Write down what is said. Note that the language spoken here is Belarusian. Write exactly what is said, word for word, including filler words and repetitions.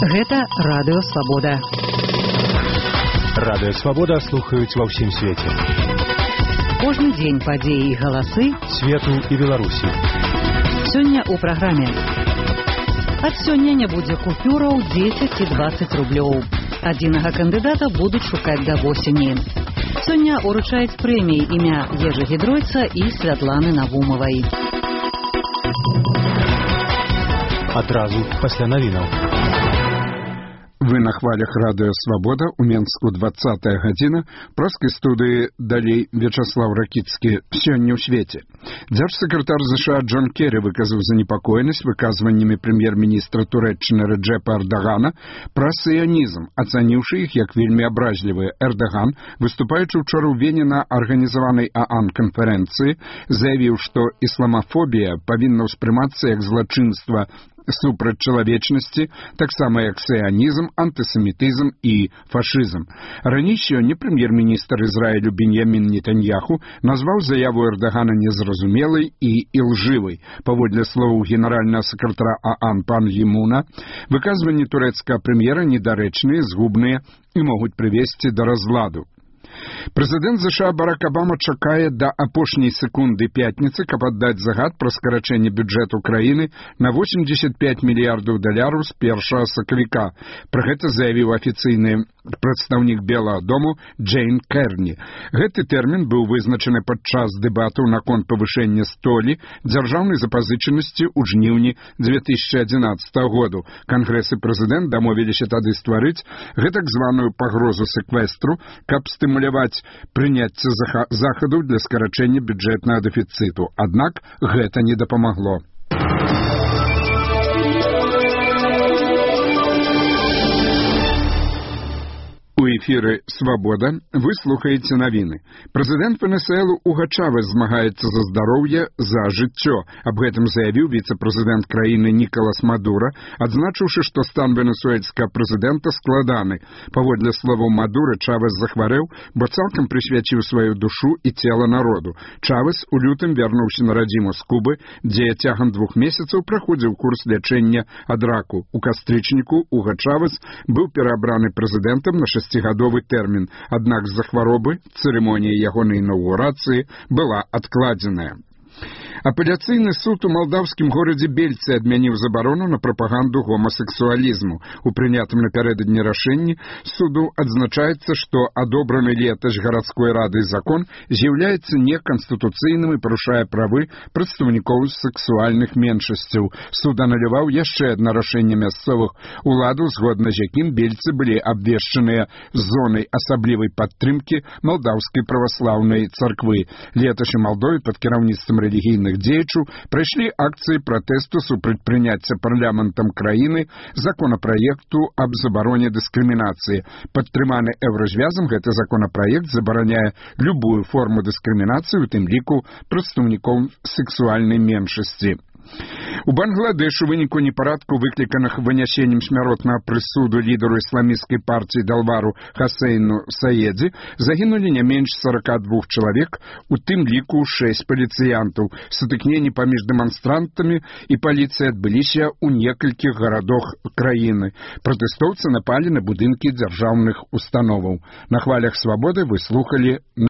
Гэта Радыё Свабода. Радыё Свабода слухаюць ва ўсім свеце. Кожны дзень падзеі і галасы свету і Беларусі. Сёння ў праграме. Ад сёння не будзе купюраў дзесяць і дваццаць рублёў. Адзінага кандыдата будуць шукаць да восені. Сёння уручаюць прэміі імя Ежы Гідройца і Святланы Навумавай. Адразу пасля навінаў. Вы на хвалях Радыё Свабода, у Менску двадцатая гадзіна, праскай студыі далей Вячаслав Ракіцкі. Сёння ў свеце. Дзяржсакратар ЗША Джон Керрі выказаў занепакоенасць выказваннямі прэм'ер-міністра Турэччыны Рэджэпа Эрдагана пра сіянізм, ацаніўшы іх як вельмі абражлівыя. Эрдаган, выступаючы ўчора ў Вене на арганізаванай ААН канферэнцыі, заявіў, што ісламафобія павінна ўспрымацца як злачынства супраць чалавечнасці, таксама як сіянізм, антысемітызм і фашызм. Раней сёння прэм'ер-міністр Ізраілю Беньямін Нетаньяху назваў заяву Эрдагана незразумелай і ілжывай. Паводле словаў генеральнага сакратара ААН пан Гімуна, выказванні турэцкага прэм'ера недарэчныя, згубныя і могуць прывесці да разладу. Прэзідэнт ЗША Барак Абама чакае да апошняй секунды пятніцы, каб аддаць загад пра скарачэнне бюджэту краіны на восемьдесят пять мільярдаў даляраў з першага сакавіка. Пра гэта заявіў афіцыйны прадстаўнік Белага дому Джейн Керні. Гэты тэрмін быў вызначаны падчас дэбатаў наконт павышэння столі дзяржаўнай запазычанасці ў жніўні две тысячи адзінаццатага году. Кангрэс і прэзідэнт дамовіліся тады стварыць гэтак званую пагрозу секвестру, каб стымуляваць прыняцце захадаў для скарачэння бюджэтнага дэфіцыту. Аднак гэта не дапамагло. У эфіры «Свабода» вы слухаеце навіны. Прэзідэнт Венесуэлы Уго Чавес змагаецца за здароўе, за жыццё. Аб гэтым заявіў віцэ-прэзідэнт краіны Нікалас Мадура, адзначыўшы, што стан венесуэльскага прэзідэнта складаны. Паводле словаў Мадуры, Чавес захварэў, бо цалкам прысвяціў сваю душу і цела народу. Чавес у лютым вярнуўся на радзіму з Кубы, дзе цягам двух месяцаў праходзіў курс лячэння ад раку. У кастрычніку Уго Чавес быў пераабраны прэзідэнтам на шасцігадовы тэрмін, аднак з-за хваробы цырымонія ягонай інаўгурацыі была адкладзеная. Апеляцыйны суд у малдаўскім горадзе Бельцы адмяніў забарону на прапаганду гомасексуалізму. У прынятым напярэдадні рашэнні суду адзначаецца, што адобраны летась гарадской рады закон з'яўляецца неканстытуцыйным і парушае правы прадстаўнікоў сексуальных меншасцяў. Суд ануляваў яшчэ адно рашэнне мясцовых уладаў, згодна з якім бельцы былі абвешчаныя зонай асаблівай падтрымкі малдаўскай праваслаўнай царквы. Летась у Малдове пад кіраўніцтвам рэлігійных дзеячаў прайшлі акцыі пратэсту супраць прыняцця парламентам краіны законапраекту аб забароне дыскрымінацыі. Падтрыманы еўразвязам, гэты законапраект забараняе любую форму дыскрымінацыі, у тым ліку прадстаўнікоў сексуальнай меншасці. У Бангладэшу у выніку непарадку, выкліканых вынясеннем смяротнага прысуду лідару ісламісцкай партыі Далвару Хасейну Саедзі, загінулі не менш сорока двух чалавек, у тым ліку шэсць паліцыянтаў. Сутыкненні паміж дэманстрантамі і паліцыяй адбыліся ў некалькіх гарадах краіны. Пратэстоўцы напалі на будынкі дзяржаўных установаў. На хвалях Свабоды вы слухалі